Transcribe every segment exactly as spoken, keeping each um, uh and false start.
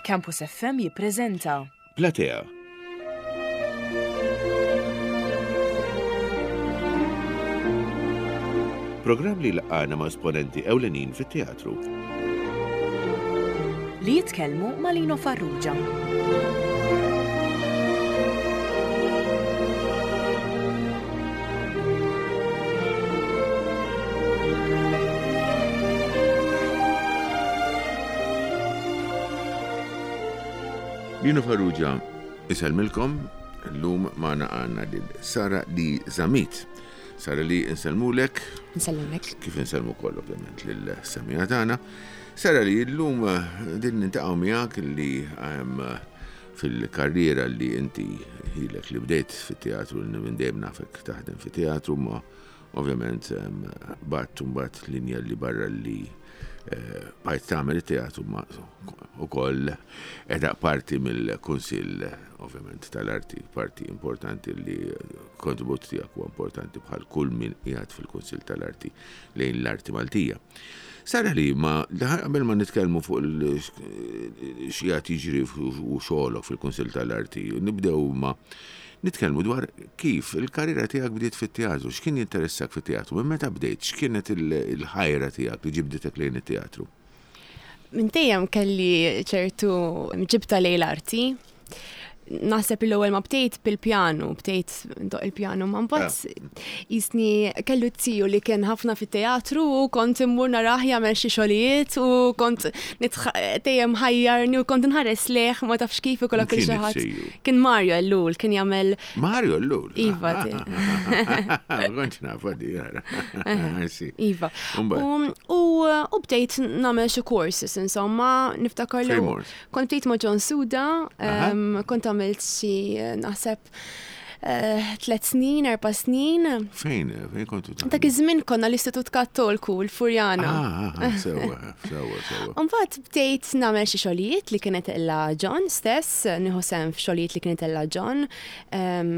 Campus F M jippreżenta Platea. Programm li jlaqqagħna ma' esponenti ewlenin fit-teatru. Li jitkellmu ma' Lino Farrugia. Lino Farrugia isellmilkom, llum magħna għandna lil Sara Lee Zammit. Sara Lee, insellmulek. Nsellmulek. Kif insellmu koll ovvjament lil-semmiegħa tagħna. Sara Lee, llum din niltaqgħu miegħek li ehm, fil-karriera li inti ilek li bdejt fit-teatru, li minn dejjem nafek taħdem fit-teatru, ma ovvjament ehm, bat mbagħad linja li barra li eh, bajt tagħmel it-teatru ma ukoll edha parti mill-Kunsill ovvjament tal-Arti, parti importanti li kontribut tiegħek huwa importanti bħal kull min qiegħed fil-Kunsill tal-Arti lejn l-arti Maltija. Sara Lee, ma qabel ma nitkellmu fuq x'qiegħed jiġri u xogħolok fil-Kunsill tal-Arti, nibdew ma nitkellmu dwar kif il-karriera tiegħek bdiet fit-teatru, x'kien jinteressak fit-teatru, minn meta bdejt, x'kienet il-ħajra tiegħek li ġibditek lejn it-teatru? Minn dejjem kelli ċertu ġibta lejn l-arti. Naħseb l-ewwel ma bdejt bil-pjanu, bdejt ndoqq il-pjanu, ma mbagħad jisni kellu t-tiju li kien ħafna fit-teatru u kont immur narah jagħmel xi xogħlijiet u kont dejjem ħajjarni u kont nħares lejh, ma tafx kif ikollok il Kien xi ħadd. it-tiju? Kien Mario Ellul, kien jagħmel Mario Ellul? Iva, ti. Ma kontx naf għadi, jara. Si. Iva. Umbagħad? U u bdejt nagħmel xi courses, insomma, niftakar li Fejn mort? kont bdejt ma' John Suda, Aha. em, kont għamilt xi naħseb eh, tliet snin, erba' snin. Fejn, fejn kontu taħdmu? Dak iż-żmien konna l-Istitut Kattolku, l-Furjana. Ah, ah, sewwa, sewwa, sewwa. Mbagħad bdejt nagħmel xi xogħlijiet li kienet illa John stess, nieħu sehem f'xogħlijiet li kienet illa John, em,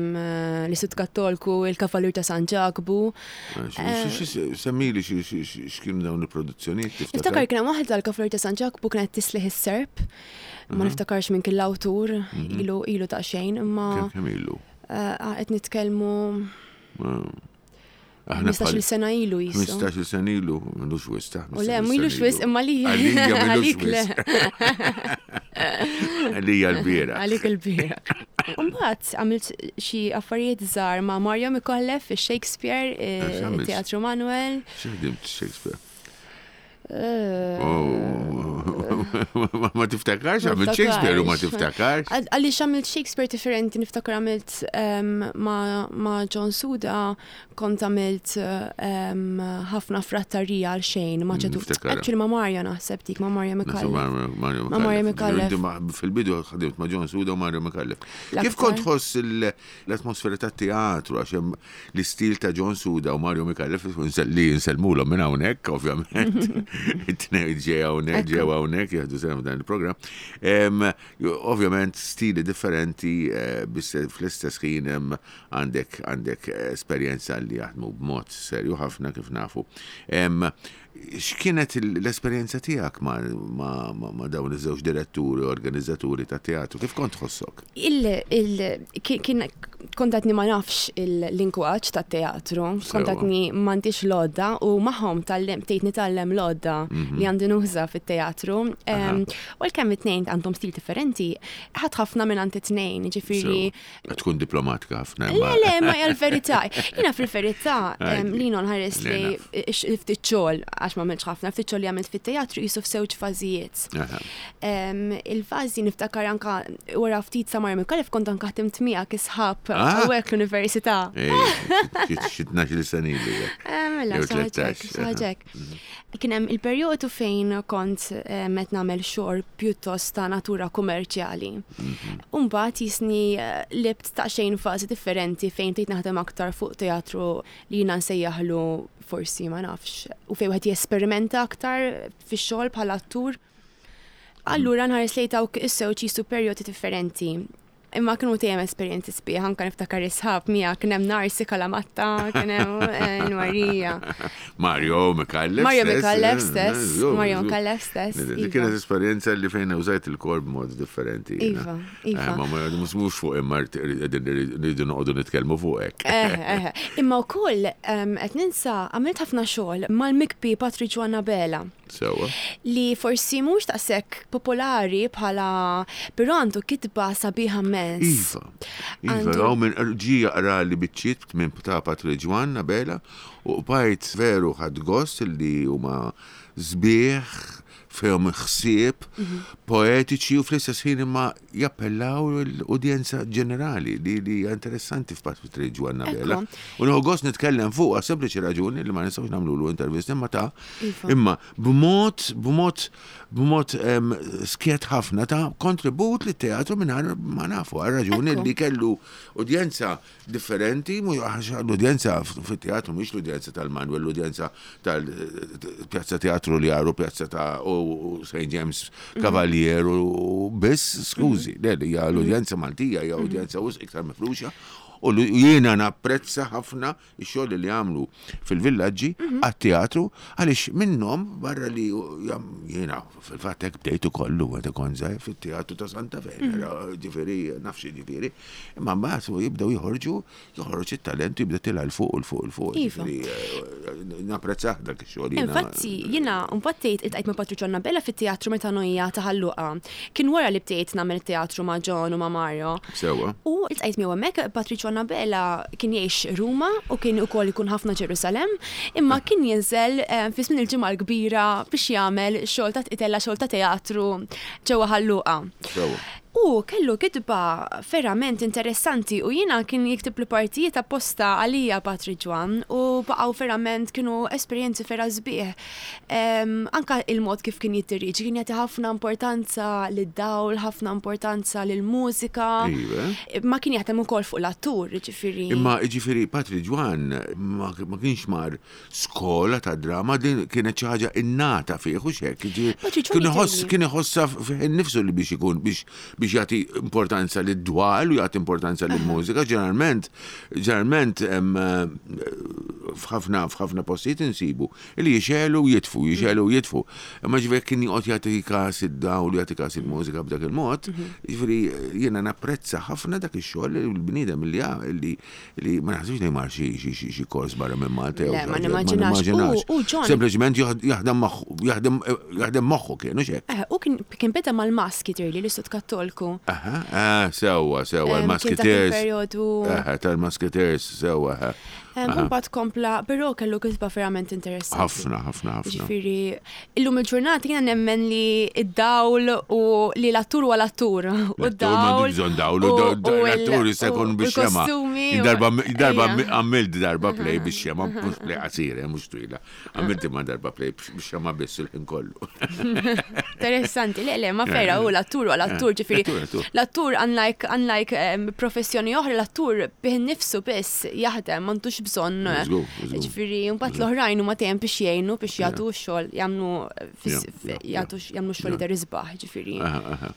l-Istitut Kattolku, il-Kavalur ta' San Ġakbu. Semmili x'kienu dawn il-produzzjonijiet, tiftakar? Niftakar kien hemm waħda l-Kavalur ta' San Ġakbu kienet Tislieħ is-Serp. Ma niftakarx minn kien l-awtur, ilu ilu ta' xejn, imma Kemm kemm ilu? eh, qed nitkellmu Aħna ħmistax-il sena ilu jisu. ħmistax-il sena ilu, m'ilux wisq, ta' U le, m'ilux wisq, imma li Għalija m'ilux għalik le. wisq. Għalija l-bieraħ. Għalik il-bieraħ. Mbagħad għamilt xi affarijiet żgħar ma' Mario Micallef fi Shakespeare, eh, X'għamilt? Teatru Manuel. X'ħdimt Shakespeare? Eh, Oh, ma tiftakarx, għamilt Shakespeare u ma tiftakarx. Għal- Għaliex għamilt Shakespeare differenti, niftakar għamilt em, ma, ma John Suda, kont għamilt em, ħafna frattarija għal xejn, ma ċetu. Niftakar. Actually ma Mario naħseb dik, ma Mario Naħseb Micallef. Mario Ma Mario Micallef. Inti ma- Fil-bidu ħdimt ma' John Suda u Mario Micallef. Kif L-aktar. kont tħoss il- l-atmosfera ta' teatru, għax hemm l-istil ta' John Suda u Mario Micallef li nsellmulhom minn hawnhekk, ovvjament. It-tnejn ġew hawnhekk, ġew hawnhekk jieħdu sehem f'dan il-programm. Em, Ovvjament stili differenti, eh, biss fl-istess ħin hemm għandek għandek esperjenza li jaħdmu b'mod serju ħafna kif nafu. Em, X'kienet il- l-esperjenza tiegħek ma, ma, ma, ma dawn iż-żewġ diretturi, organizzaturi ta' teatru? Kif kont tħossok? Il, il, kien, kien kont għadni ma nafx il-lingwaġġ ta' teatru, kont għadni m'għandix l-għodda u magħhom tgħallimt, bdejt nitgħallem l-għodda li għandi nuża fit-teatru. Em, U l-kemm it-tnejn għandhom stil differenti, ħadt ħafna minn għand it-tnejn, ġifieri. Sewa. Tkun diplomatika ħafna. Le, le, ma hija l-verità. Jiena fil-verità, Għajdi. em, li nħares Le, li naf. ftit xogħol, għax ma għamiltx ħafna, ftit xogħol li għamilt fit-teatru jisu f'żewġ fażijiet. Aha. Em, Il-fażi niftakar anka wara ftit sa Mario Micallef kont anka ħdimt miegħek isħab Ah. hawnhekk l-università. Ej, xi tnax-il sena ilu. Eh, Mela, Jew xi ħaġa hekk, tlettax, xi ħaġa hekk. Kien hemm il-perjodu fejn kont eh, qed nagħmel xogħol pjuttost ta' natura kummerċjali. U mbagħad jisni eh, qlibt ta' xejn fażi differenti fejn bdejt naħdem aktar fuq teatru li jiena nsejjaħlu forsi ma nafx u fejn wieħed jesperimenta aktar fix-xogħol bħala attur. Allura nħares lejn dawk is-żewġ jisu perjodi differenti. Imma kienu dejjem esperjenzi sbieħ, anka niftakar is-sħab mija kien hemm Narsi Kalamatta, kien hemm eh, Marija. Mario Micallef Mario stess. Micallef eh, stess, żgur, Mario żgur. Micallef stess. Dik Iva. kienet esperjenza li fejn użajt il-korp b'mod differenti. jiena. Iva, iva. Eh, Ma ma mhux mhux fuq imma rridu noqogħdu nitkellmu fuq hekk. Eh, eh, Imma wkoll em, qed ninsa għamilt ħafna xogħol mal-mikbi Patrick Joanna Bela Sewwa. li forsi mhux daqshekk popolari bħala però għandu kitba sabiħa immens. Iva, Iva, Għandu- għaw minn ġi jaqra li biċċiet minn ta' Patrick Joanna Bela u bajt veru ħad gost li huma sbieħ fejhom ħsieb poetiċi u fl-istess ħin imma jappellaw l-udjenza ġenerali li li hija interessanti f'Patrick Joanna Bela. Ekku. U nieħu gost nitkellem fuq għas sempliċi raġuni li ma nistgħux nagħmlu intervista imma ta' Iva. imma b'mod b'mod b'mod em, skjet ħafna ta' kontribut li teatru mingħajr ma nafu għal raġuni Ekku. li kellu udjenza differenti, mhu għax l-udjenza fit-teatru mhix l-udjenza tal-Manuel, l-udjenza tal-Pjazza Teatru li għaru, Pjazza ta' u Saint James Cavalier u biss, skużi, le, li hija l-udjenza Maltija, hija udjenza wisq iktar mifruxa. U l- jiena napprezza ħafna x-xogħol li għamlu fil-villaġġi għat-teatru għaliex minnhom barra li jam- jiena fil-fatt hekk bdejtu kollu meta kont żgħir fit-teatru ta' Santa Venera, ġifieri nafx ġifieri, imma mbagħad u jibdew joħorġu, joħroġ it-talent jibda tilha 'l fuq 'l fuq 'l fuq. Iva. Ġifieri eh, napprezzah dak ix-xogħol jiena. Infatti, jiena mbagħad tgħid iltqajt ma' Patrick Joanna Bella fit-teatru Metanoia ta' Ħal Luqa. Kien wara li bdejt nagħmel teatru ma' John u ma' Mario. Sewwa. U iltqajt miegħu hemmhekk Patrick Joanna Bella kien jgħix Ruma u kien ukoll ikun ħafna Ġerusalem, imma kien jinżel eh, fi żmien il-ġimgħa l-kbira biex jagħmel xogħol ta' itella xogħol ta' teatru ġewwa Ħal Luqa. Sewwa. U kellu kitba verament interessanti u jiena kien jiktib li partijiet apposta għalija Patrick Joan u baqgħu verament kienu esperjenzi vera sbieħ. Em, anka il-mod kif kien jittiriġi, kien jagħti ħafna importanza lid-dawl, ħafna importanza lill-mużika. Iva. Ma kien jaħdem ukoll fuq l-attur, ġifieri. Imma ġifieri Patrick Joan ma, ma kienx mar skola ta' drama, din kienet xi ħaġa innata fih u xek. Patrick Joan Kien iħoss jidhirli. kien iħossha fih innifsu li biex ikun biex biex jagħti importanza lid-dwal u jagħti importanza lill-mużika. Ġeneralment, ġeneralment em, eh, f'ħafna f'ħafna postijiet insibu li jixelu u jitfu, jixelu u jitfu. Imma ġifieri kien joqgħod jagħti każ id-dawl, jagħti każ il-mużika b'dak il-mod, ġifieri jiena napprezza ħafna dak ix-xogħol li l-bniedem li li li ma naħsibx li mar xi xi xi xi kors barra minn Malta jew Le, ma xi ħaġa, nimmaġinax. U- u John- Sempliċement jaħdem moħħu, jaħdem jaħdem moħħu kien, u xek. Eh, u kien kien beda mal-maski tirli l-Istud Kattolku. Aha, ah, sewwa, sewwa, Em, kien dak il-Musketeers. il-perjodu. Aha, tal-Musketeers, sewwa, aha. Em, U mbagħad kompla, però kellu kitba verament interessanti. Ħafna, ħafna, ħafna. Ġifieri, illum il-ġurnata jiena nemmen li id-dawl u li l-attur huwa l-attur. U L-attur m'għandux bżonn dawl, u l-attur jista' jkun u biex xema. l-kostumi u- Darba darba Ejja. għamilt darba play biex xema, mhux play qasira, mhux twila. Għamilt imma darba play biex xema biss il-ħin kollu. Interessanti, le, le, ma vera, u l-attur u l-attur, ġifieri. L-attur, l-attur. L-attur, unlike, unlike em, professjoni oħra, l-attur bih nifsu biss jaħdem, m'għandux bżonn. Żgur, żgur. Ġifieri, mbagħad l-oħrajn huma dejjem biex jgħinu biex jagħtu x-xogħol, jagħmlu fis- Ja, ja, ja. jagħtu jagħmlu x-xogħol jidher isbaħ, ġifieri. Aha, aha.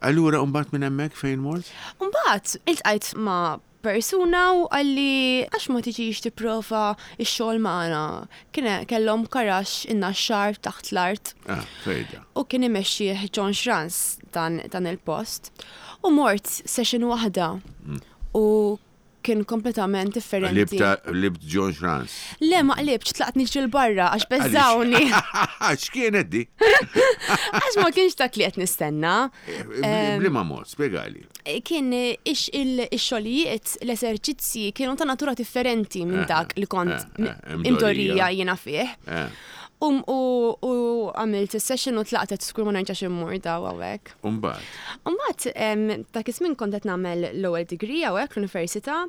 Allura, mbagħad minn hemmhekk fejn mort? Mbagħad iltqajt ma' persuna u qalli għax ma tiġix tipprova x-xogħol magħna. Kien kellhom karax in-Naxxar taħt l-art Ah, fejda. u kien imexxih John Schranz dan, dan il-post. U mort session waħda u kien kompletament differenti. Libta, libt John Schranz. Le ma qlibx, tlaqt niġri l-barra għax beżawni. X'kienet di? Għax ma kienx dak li qed nistenna. Bliema mod, spjegali. Kien ix il-xogħlijiet, l-eserċizzi kienu ta' natura differenti minn dak li kont eh, eh, imdorrija imdorrija. jiena fih. Eh, U u u għamilt is-session u tlaqtet skur ma nerġax immur daw hawnhekk. Umbagħad. Umbagħad em, dak iż-żmien kont qed nagħmel l-ewwel degree hawnhekk l-università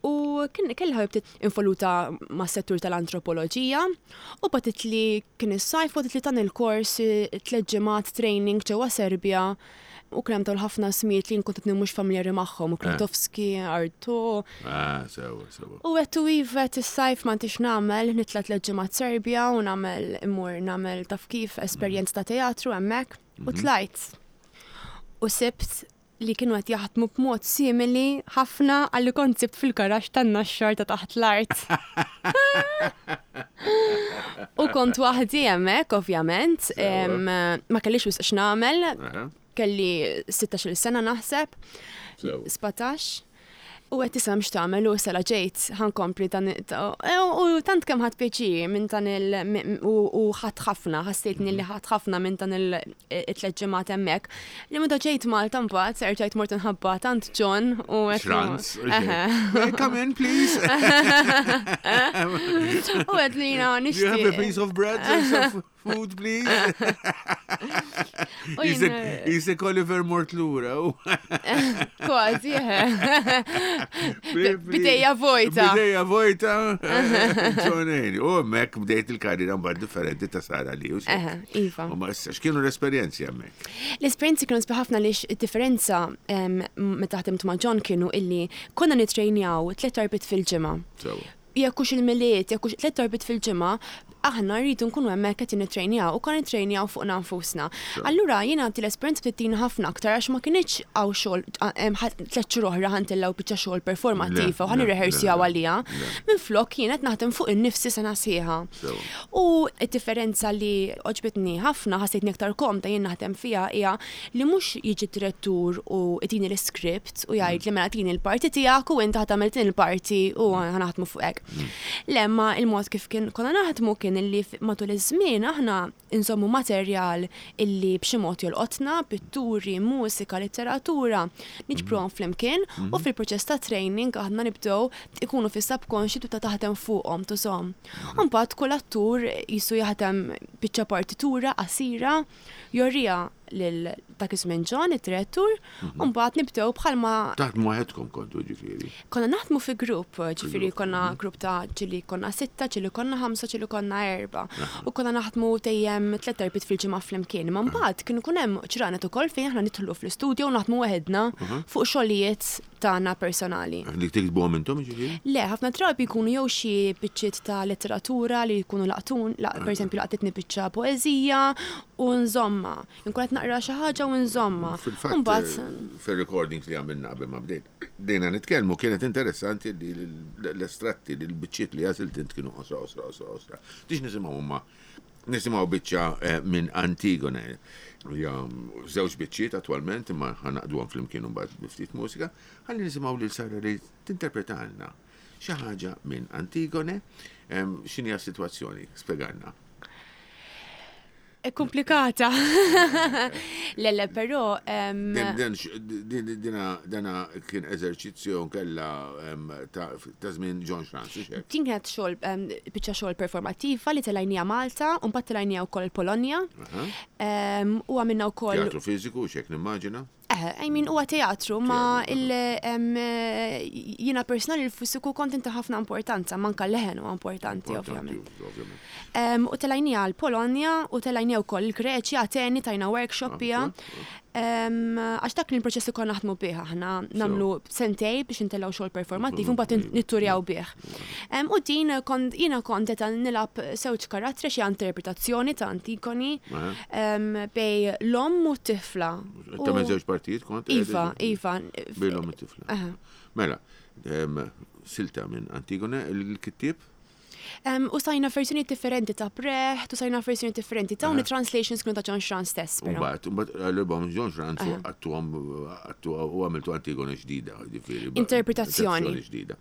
u kien kelli ħabibti involuta mas-settur tal-antropoloġija u bagħtet li kien is-sajf bagħtet li dan il-kors eh, tliet ġimgħat training ġewwa Serbja u kien hemm dawn ħafna smijiet li nkun qed mhux familjari magħhom, u Klintovski, Arto. Ah, sewwa, sewwa. U għettu iva is-sajf ma ntix nagħmel, nitla tliet ġimgħat Serbja u nagħmel immur nagħmel taf kif esperjenza ta' teatru hemmhekk u tlajt. U sibt li kienu qed jaħdmu b'mod simili ħafna għalli kont sibt fil-garaxx tan-Naxxar ta' taħt l-art. U kont waħdi hemmhekk ovvjament, Sewa. ma kellix wisq x'nagħmel, Aha, kelli sittax-il sena naħseb, Sewa. sbatax. U qed tisem x'tagħmel u sela ġejt ħankompli dan ta- u u tant kemm ħadd pjaċir minn dan il u u ħadd ħafna, ħassejtni li ħadd ħafna minn dan il tliet ġimgħat hemmhekk. Li meta ġejt Malta mbagħad erġajt mort inħabba tant John u qed Schranz. Eħe. Hey, Come in, please. U qed li jiena Do you have a nixtieq. piece of bread and some food, please? U jien- Isek Oliver mort lura. u- Kważi, eħe. Bidejja vojta. Bidejja vojta. Ġonejni. U hemmhekk bdejt il-karriera mbagħad differenti ta' Sara li. u xek. Eħe, iva. U ma issa x'kienu l-esperjenzi hemmhekk? L-esperjenzi kienu sbieħ ħafna li differenza em, meta ħdimt ma' John kienu illi konna nitrejnjaw tliet darbiet fil-ġimgħa. Sewa. Jekk hux il-Milied, jekk hux tliet darbiet fil-ġimgħa, aħna rridu nkunu hemmhekk qed nittrejnjaw u konna nittrejnjaw fuqna nfusna. Allura jiena għandi l-esperjenza bdiet ħafna aktar għax ma kinitx hawn xogħol em, ħa- tliet xhur oħra ħa ntellgħu biċċa xogħol performattiva u ħa Le, le, nirrehearsjaw le, għaliha. le. Minflok jien qed naħdem fuq innifsi sena sħiħa. Sewa. U d-differenza li għoġbitni ħafna ħassejtni aktar komda jien naħdem fiha hija li mhux jiġi direttur u jtini l-script u jgħid li mela tini l-parti tiegħek u inti ħa tagħmel din il-parti u ħa naħdmu fuq hekk. Le ma il-mod kif kien konna naħdmu kien illi f- matul iż-żmien aħna insommu materjal illi b'xi mod jolqotna, pitturi, mużika, letteratura, niġbruhom flimkien u fil-proċess ta' training aħna nibdew ikunu fis-subconscious tibda taħdem fuqhom tużhom. U mbagħad kull attur jisu jaħdem biċċa partitura qasira jorrija lil dak iż-żmien John, id-direttur, u mbagħad nibdew bħalma Taħdmu waħedkom kontu ġifieri. konna naħdmu fi grupp, ġifieri grupp, konna grupp ta' ġieli konna sitta, ġieli konna ħamsa, ġieli konna erba. U konna naħdmu dejjem tliet darbiet fil-ġimgħa flimkien. Ma mbagħad kienu kun hemm ġranet ukoll fejn aħna nidħlu fl-istudju u naħdmu waħedna fuq xogħlijiet tagħna personali. Li tiktbuhom intom ġifieri? Le, ħafna drabi jkunu jew xi biċċiet ta' letteratura li jkunu laqtun, la, per esempio laqtitni biċċa poeżija u nżomma. Inkun qed naqra xi ħaġa u nżomma. Fil-fatt, Mbagħad eh, fil-recordings li għamilna qabel ma bdejt, bdejna nitkellmu kienet interessanti li l- l-estratti, li l-biċċiet li għażilt int kienu qosra, qosra, qosra, qosra. Tix nisimgħu huma nisimgħu biċċa eh, minn Antigone. Ja, żewġ biċċiet attwalment imma ħa nagħqduhom flimkien mbagħad bi ftit mużika, ħalli nisimgħu lil Sara li tinterpretalna xi ħaġa minn Antigone. Em, X'inhi s-sitwazzjoni? Spjegalna. eh, komplikata. Le, le, però em, Din- din x- din- Dina dana kien eżerċizzju kella em, ta' ta' żmien John Schranz, u xek. din kienet xogħol em, biċċa xogħol performattiva li tellajnieha Malta u mbagħad tellajnieha wkoll Polonja. Em, U għamilna wkoll Teatru fiżiku, xek nimmaġina. Eh, I mean, huwa teatru, ma Teatru, il em, eh, jiena personali l-fiżiku kont inta ħafna importanza, manka leħen huwa importanti, ovvjament. Ovvjament. Em, U tellajnieha l-Polonja u tellajnieha wkoll il-Greċja, Ateni tajna workshop biha. Em, Għax dak kien il-proċess li konna naħdmu bih aħna nagħmlu sentej biex intellgħu xogħol performattiv u mbagħad nitturjaw bih. Em, U din kont jiena kont qed nilgħab żewġ karattri xi interpretazzjoni ta' Antigoni Aha. em, bejn l-omm u t-tifla. U- Ta' żewġ partijiet kont? Iva, Iva. Bejn l-omm u t-tifla. Aha. Mela, em, silta minn Antigone, il-kittib? Em, U sajna versjoni differenti ta' Brecht, u sajna versjoni differenti ta' Aha. translations kienu ta' John Schranz stess, però. Umbat, umbat, għal-bom John Schranz u għattuhom, għattu u għamiltu Antigone ġdida, ġifieri. ba- Interpretazzjoni. interpretazzjoni ġdida.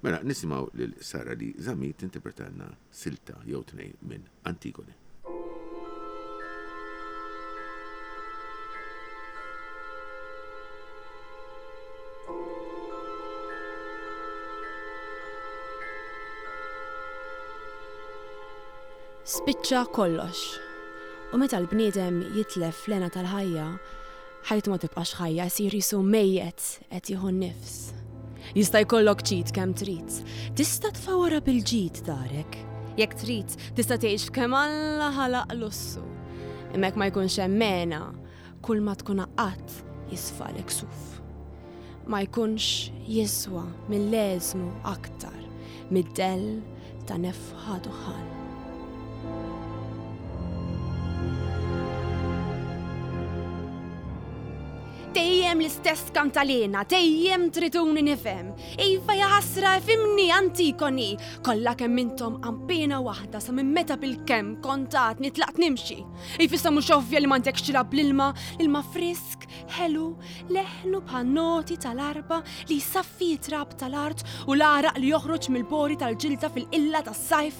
Mela, nisimgħu lil Sara li Zammit tinterpretalna silta jew tnejn minn Antigone. Spiċċa kollox. U meta l-bniedem jitlef l-hena tal-ħajja, ħajtu ma tibqax ħajja, jsir jisu mejjet qed jieħu n-nifs. Jista' jkollok ġid kemm trid. Tista' tfawara bil-ġid darek. Jekk trid, tista' tgħix f'kemm Alla ħalaq lussu. Imma jekk ma jkunx hemm mena, kull ma tkun qatt jisfalek suf. Ma jkunx jiswa mill-leżmu aktar mid-dell ta' nefħa duħan. Dejjem l-istess kantalena, dejjem triduni nifhem. Iva jaħasra ifhimni Antigoni. Kollha kemm intom qampina waħda sa minn meta bil-kemm kontat nitlaqt nimxi. Ifissa mhux ovvja li m'għandekx tilgħab bl-ilma, l-ilma frisk, ħelu, leħnu bħal noti tal-arba li jsaffi trab tal-art u l-għaraq li joħroġ mill-pori tal-ġilda fil-qilla tas-sajf.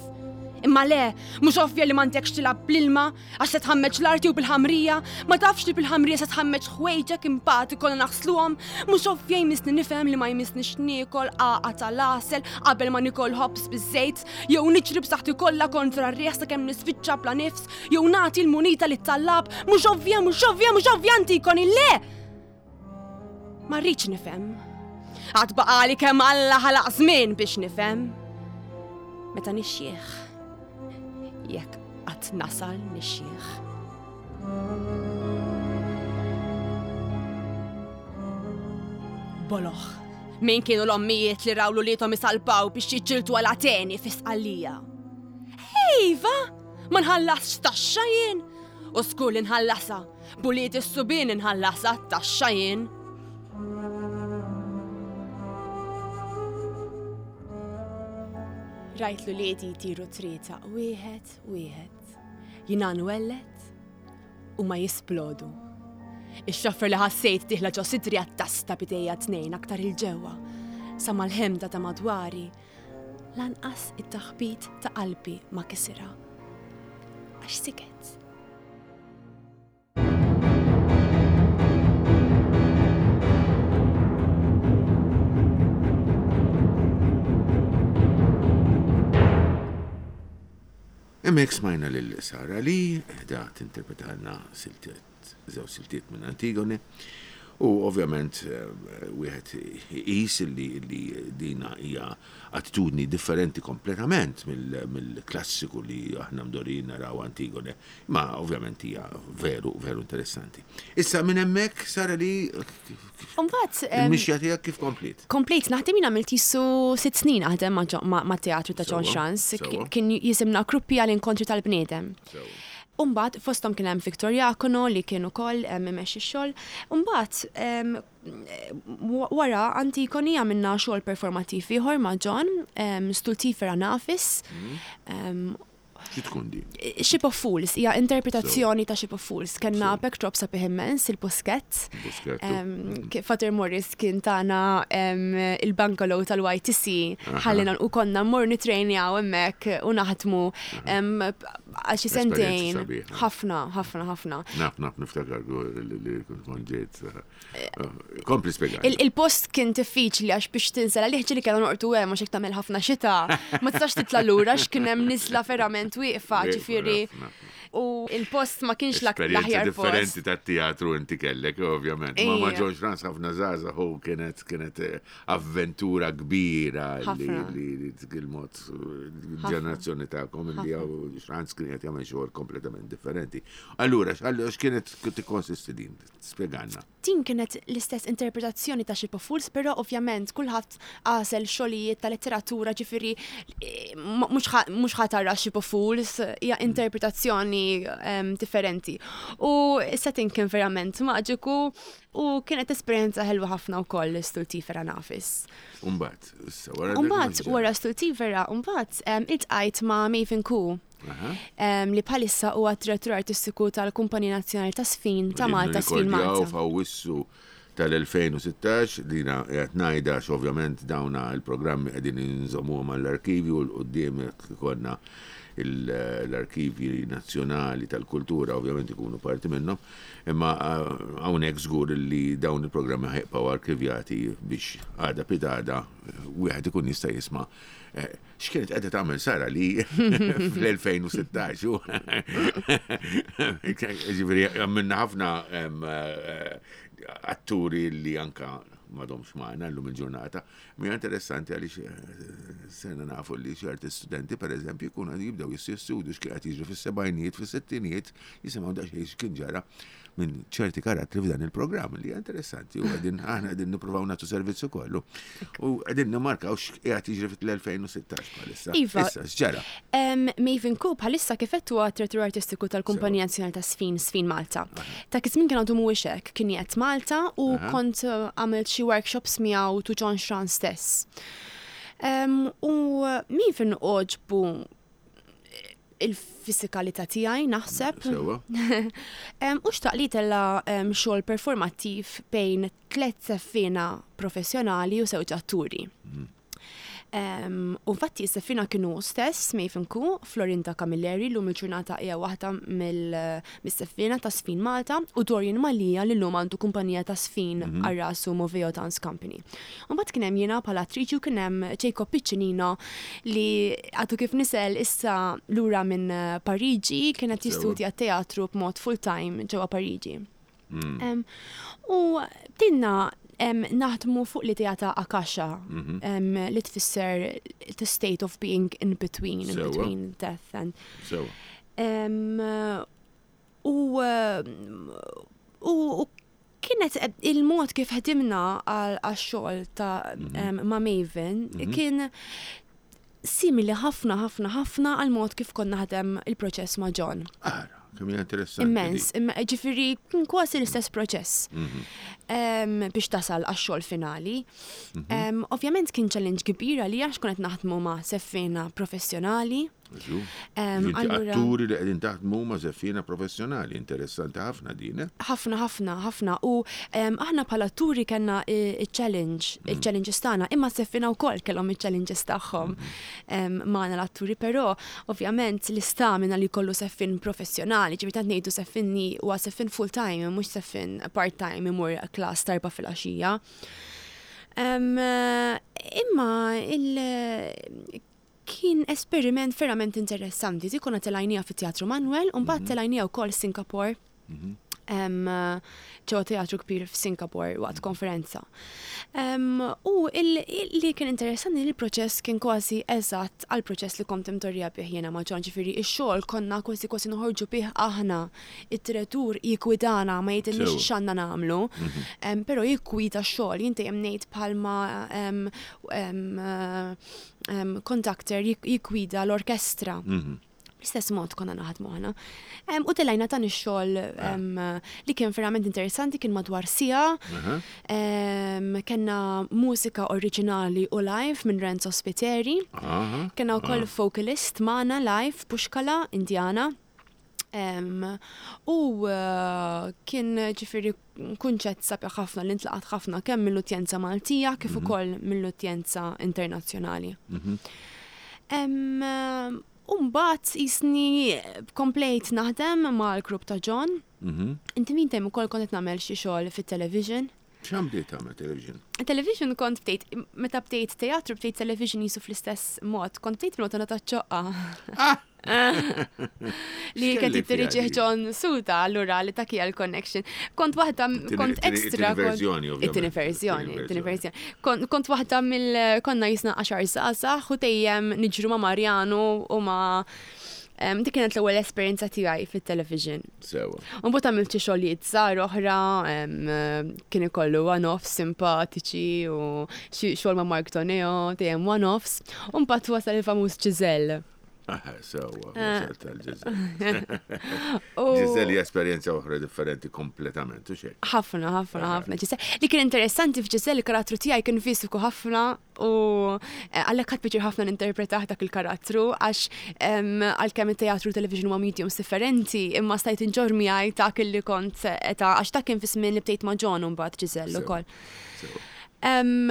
Imma le, mhux ovvja li m'għandekx tilgħab bl-ilma għax se tħammeġ l-arti u bil-ħamrija, ma tafx li bil-ħamrija se tħammeġ ħwejġek imbagħad ikollna naħsluhom, mhux ovvja jmissni nifhem li ma jmissnix niekol għaqa tal-għasel qabel ma nikol ħobż biż-żejt, jew niġri b'saħħti kollha kontra r-riħ sakemm nispiċċa bla nifs, jew nagħti l-munita lit-tallab, mhux ovvja, mhux ovvja, mhux ovvja Antigoni, le! Ma rridx nifhem. Għad baqali kemm Alla ħalaq żmien biex nifhem. Meta nixjieħ. Jekk qatt nasal nixjieħ. Boloħ, min kienu l-ommijiet li raw l-ulietom isalpaw biex jiġġieldu għal Ateni fi Sqallija? Iva, ma nħallasx taxxa jien. U skur li nħallasha, buliet is-subien nħallasha taxxa jien. Rajt l-uliedi jtiru trieta wieħed wieħed. Jina nwellet u ma jisplodu. Ix-xoffer li ħassejt diħla ġo sidri għat-tasta bidejja tnejn aktar il-ġewwa. Sa mal-ħemda ta' madwari, lanqas it-taħbit ta' qalbi ma kisirha. Għax siket. Hemmhekk smajna lil Sara li da tinterpretalna siltiet, żewġ siltiet minn Antigone, u ovvjament wieħed iqis li li dina hija attitudni differenti kompletament mill-klassiku li aħna mdorin naraw Antigone, ma ovvjament hija veru, veru interessanti. Issa minn hemmhekk Sara li Imbagħad il-mixja tiegħek kif kompliet? Komplejt naħdem jien għamilt jisu sitt snin naħdem ma' teatru ta' John Schranz, kien jisimna Gruppi għal inkontri tal-bniedem. Umbagħad fosthom kien hemm Victor Jacono li kien ukoll imexxi x-xogħol. Umbagħad wara Antigoni għamilna xogħol performattiv ieħor ma' John, Stultifera Nafis. Xi tkun din? Ship of Fools, hija interpretazzjoni ta' Ship of Fools. Kellna backdrop sabiħ immens, il-Buskett. Father Morris kien tagħna il-bungalow tal-Y T C, ħallina u konna mmur nitrejnjaw hemmhekk u naħdmu għal xi sentejn. Ħafna, ħafna, ħafna. Naf, naf, niftakar li kont ġejt. Kompli spjega. Il-post kien diffiċli għax biex tinsel għalih ġieli kellna noqgħdu hemm għax hekk tagħmel ħafna xita. Ma tistax titla' lura għax kien hemm niżla verament wieqfa, ġifieri. U il-post ma kienx l-aħjar post. Differenti tat-teatru inti kellek, ovvjament. Ma ma John Schranz ħafna żgħażagħ u kienet kienet avventura kbira li li il-mod ġenerazzjoni tagħkom li Schranz kien qed jagħmel xogħol kompletament differenti. Allura x'kienet tikkonsisti din? Spjegalna. Din kienet l-istess interpretazzjoni ta' Ship of Fools, però ovvjament kulħadd għażel xogħlijiet ta' letteratura, ġifieri mhux ħa tara Ship of Fools, hija interpretazzjoni differenti. U s-setting kien verament maġiku u kienet esperjenza ħelwa ħafna wkoll Stultifera Nafis. Umbagħad, issa wara Umbagħad wara Stultifera, mbagħad iltqajt ma' Maven Koo. Li bħalissa huwa direttur artistiku tal-Kumpanija Nazzjonali ta' Sfin ta' Malta, Sfin Malta. F'Awwissu tal-elfejn u sittax, dina qed ngħidha għax ovvjament dawna il-programmi qegħdin inżommuhom għall-arkivju u l-quddiem ikollna l-arkivji nazzjonali tal-kultura ovvjament ikunu parti minnhom, imma hawnhekk żgur li dawn il-programmi ħajbqgħu arkivjati biex għada pitgħada wieħed ikun jista' jisma' x'kienet qiegħda tagħmel Sara li fl-elfejn u sittax. Ġifieri għamilna ħafna atturi li anka m'għadhomx magħna llum il-ġurnata. Mija interessanti għaliex sena nafu li xi arti studenti pereżempju jkunu jibdew jistudju x'kien qed jiġri fis-sebgħinijiet, fis-sittinijiet, jisimgħu daqsxejn x'kien ġara minn ċerti karattri f'dan il-programm li hija interessanti u qegħdin aħna qegħdin nippruvaw nagħtu servizz ukoll. U qegħdin nimmarkaw x'qiegħed jiġri fil-elfejn u sittax bħalissa. Iva. Issa x'ġara? Maven Koo bħalissa kif qed huwa direttur artistiku tal-Kumpanija Nazzjonali ta' Sfin, Sfin Malta. Ta' kif kien għadu mhuwiex hekk, kien qiegħed Malta u kont eh, għamilt xi workshops miegħu tu John Schran stess. U Maven għoġbu il-fisikalità tiegħi naħseb. Sewwa. U xtaq li tella xogħol performattiv bejn tliet seffina professjonali u żewġ atturi. U infatti s-seffina kienu stess Maven Koo, Florinda Camilleri, l-lum il-ġurnata hija waħda mill-seffina ta' Sfin Malta, u Dorian Mallia li l-lum għandu kumpanija ta' Sfin għal rasu Moveo Dance Company. U mbagħad kien hemm jiena bħala attriċi u kien hemm Jacob Piccinino li għadu kif nisel issa lura minn Pariġi, kien qed jistudja teatru b'mod full-time ġewwa Pariġi. U bdejna naħdmu fuq l-idea ta' Akasha, li tfisser the state of being in between, in between death and. U u kienet il-mod kif ħdimna għax-xogħol ta' ma' Maven kien simili ħafna ħafna ħafna għal mod kif konna ħadem il-proċess ma' John. Ara, kemm hija interessanti. Immens, ġifieri kien kważi l-istess proċess biex tasal għax-xogħol finali. Ovvjament kien challenge kbir għalija għax konna naħdmu ma' seffina professjonali. Allura atturi li qegħdin taħdmu ma' seffina professjonali, interessanti ħafna din. Ħafna, ħafna, ħafna. U aħna bħala atturi kellna il-challenge, il-challenges tagħna, imma seffina wkoll kellhom il-challenges tagħhom magħna l-atturi, però ovvjament l-istamina li kollu seffin professjonali, ġifieri tant ngħidu seffinni huwa seffin full time, mhux seffin part time imur class darba fil-għaxija. Imma il- kien esperiment verament interessanti. Dik konna telajnija fit-Teatru Manuel, u mbagħad telajnija wkoll Singapore. Ġewwa teatru kbir f'Singapore waqt konferenza. U li kien interessanti li l-proċess kien kważi eżatt għal proċess li kont imtorrija bih jiena ma' John, ġifieri ix-xogħol konna kważi kważi noħorġu bih aħna. Id-direttur jikkwidana ma jgħidilniex x'għandna nagħmlu, però jikkwida x-xogħol. Jien dejjem ngħid bħalma conductor jikkwida l-orkestra. L-istess mod konna naħdmu aħna. U telajna dan ix-xogħol li kien verament interessanti, kien madwar siegħa. Kellna mużika oriġinali u live minn Renzo Spiteri. Kellna wkoll vocalist magħna live Pushkala Indiana. U kien ġifieri kunċett sabiħ ħafna li ntlaqat ħafna kemm mill-udjenza Maltija kif ukoll mill-udjenza internazzjonali. Umbat jisni komplejt naħdem mal-grupp ta' John. Inti min tem ukoll kont qed nagħmel xi xogħol fit-television. X'għam bdejt tagħmel television? Television kont bdejt, meta bdejt teatru bdejt television jisu fl-istess mod, kont bdejt bil-Madonna taċ-Ċoqqa. Li X'kelli kien tiddiriġih fiha di? John Suda, allura li ta' kija l-connection. Kont waħda, kont It-tieni extra, kont verżjoni, ovvjament. It-tieni verżjoni, It-tieni it-tieni verżjoni. Kont, kont waħda mill, konna jisna għaxar żgħażagħ u dejjem niġru ma' Marjanu u ma' em, dik kienet l-ewwel esperjenza tiegħi fit-television. Sewa. U mbagħad għamilt xi xogħlijiet żgħar oħra, em, kien ikollu one-offs simpatiċi u xi xogħol ma' Mark Toneo, dejjem one-offs. U mbagħad wasal il-famuż Giselle. Aha, sewa, Eh. wasal tal-Giselle. U Giselle hija esperjenza oħra differenti kompletament, u xejn. Ħafna, ħafna, ħafna. Giselle. Li kien interessanti f'Giselle, il-karattru tiegħi kien fiżiku ħafna u, eh, għalhekk ħadt pjaċir ħafna ninterpretah dak il-karattru, għax, em, għalkemm it-teatru u television huma mediums differenti, imma stajt inġorr miegħi dak li kont eta, għax dak kien fi żmien li bdejt ma' John u mbagħad Giselle Sewa. ukoll. Sewa. Em,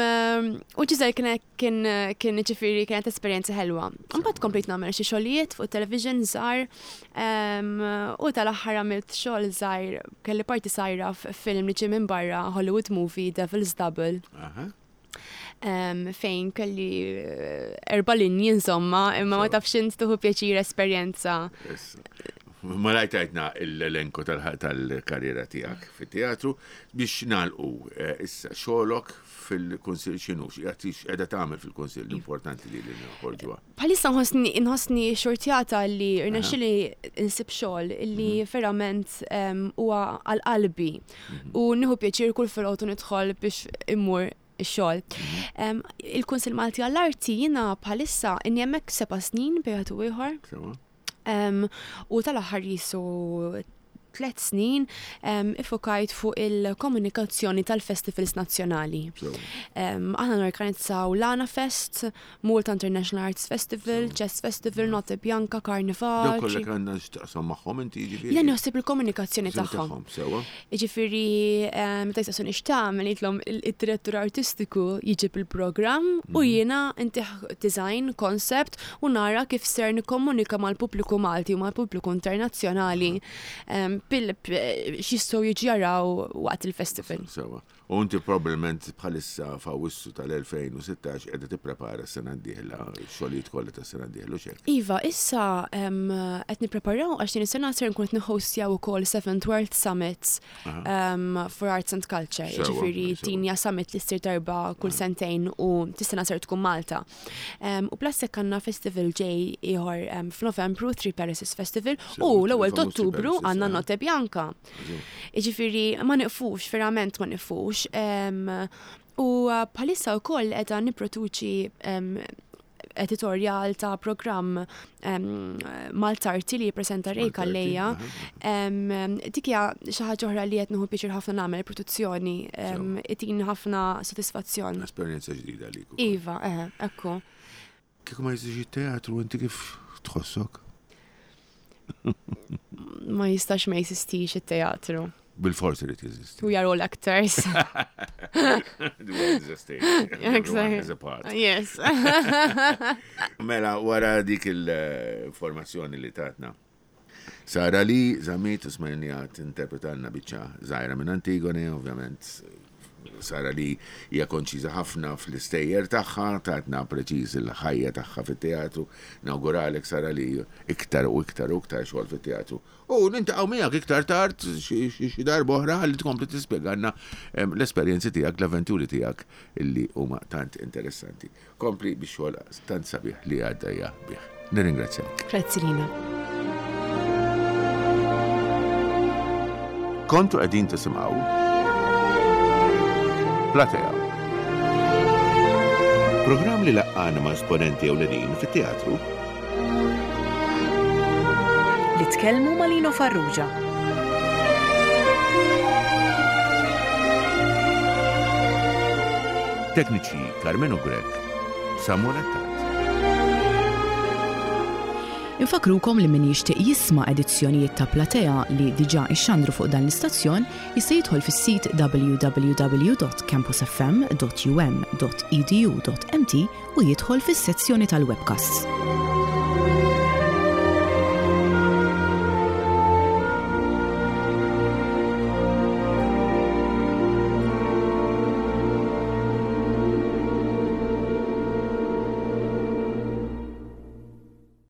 u Giselle kien, kien, kien ġifieri kienet esperjenza ħelwa. Mbagħad komplejt nagħmel xi xogħlijiet fuq television żgħar, em, u tal-aħħar għamilt xogħol żgħir, kelli parti żgħira f'film li ġie minn barra, Hollywood movie Devil's Double. Aha. Em, fejn kelli, eh, erba' linji insomma, imma ma Sewa. tafx int tieħu pjaċir esperjenza. Issa. Malajr tajtna l-elenko tal-karriera tiegħek fit-teatru biex nagħlqu eh, issa xogħlok fil-Kunsill x'inhu, x'qiegħda tagħmel fil-Kunsill importanti li noħorġuha. Bħalissa nħossni nħossni xortjata li rnexxieli nsib xogħol li mhm. verament huwa għal qalbi mhm. u nieħu pjaċir kull filgħodu nidħol biex immur ix-xogħol. Mhm. Il-Kunsill Malti għall-Arti jiena bħalissa inni hemmhekk seba' snin bejn ieħor. U tal-aħħar jisu tlet snin iffokajt fuq il-komunikazzjoni tal-festivals nazzjonali. Aħna norganizzaw Lana Fest, Malta International Arts Festival, Jazz Festival, Notte Bianca, Carnival. Dawk kollha għandna x'taqsam magħhom inti jiġifieri? Jien naħseb il-komunikazzjoni tagħhom. Jiġifieri meta jistaqsuni x'tagħmel ngħidlhom id-direttur artistiku jiġib il-programm u mhm. jiena intih design, concept u nara kif ser nikkomunika mal-pubbliku Malti u mal-pubbliku internazzjonali x'jistgħu jiġu jaraw waqt il-festival. Sewa. U inti probabbilment bħalissa f'Awwissu tal-elfejn u sittax qiegħda tipprepara s-sena d-dieħla, x-xogħlijiet kollha tas-sena d-dieħla u x'hekk. Iva, issa qed nippreparaw għax din is-sena ser nkun qed nihostjaw ukoll Seventh World Summit for Arts and Culture. Jiġifieri din hija summit li ssir darba kull sentejn u tis-sena ser tkun Malta. U plus hekk għandna festival ġej ieħor f'Novembru, Three Palaces Festival, u l-ewwel t'Ottubru għandna Notte Bianca. Jiġifieri ma niqfux, verament ma niqfux. U bħalissa wkoll qiegħda nipproduċi editorjal ta' programm Maltarti li jippreżenta Ray Calleja. Dik hija xi ħaġa oħra li qed nieħu pjaċir ħafna nagħmel produzzjoni, itini ħafna sodisfazzjon. Esperjenza ġdida għalik. Iva, eħe, ekku. Kieku ma jeżistix it-teatru inti kif tħossok? Ma jistax ma jeżistix it-teatru. Bil-forsi li jeżisti. We are all actors. The world is a stage. Everyone has a part. Yes. Mela, wara dik il-informazzjoni li tatna. Sara li Zammit u smajnija tinterpretalna biċċa żgħira minn Antigone, ovvjament Sara li hija konċiża ħafna fl-istejjer tagħha, tatna preċiż il-ħajja tagħha fit-teatru. Nawguralek Sara li iktar u iktar u iktar xogħol fit-teatru. U nintaqgħu miegħek iktar tard xi darba oħra ħalli tkompli tispjegalna l-esperjenzi tiegħek, l-avventuri tiegħek illi huma tant interessanti. Kompli bix xogħol tant sabiħ li għaddejja bih. Nirringrazzjak. Grazzi Lina. Kontu qegħdin tisimgħu Platea. Programm li laqqana ma' esponenti ewlenin fit-teatru. Li tkellmu ma' Lino Farrugia. Tekniċi Carmenu Grech, Samuel Attard. Infakrukom li min jixtieq jisma' edizzjonijiet ta' Platea li diġà ixxandru fuq dan l-istazzjon jista' jidħol fis-sit w w w dot campus f m dot u m dot e d u dot m t u jidħol fis-sezzjoni tal-webcasts.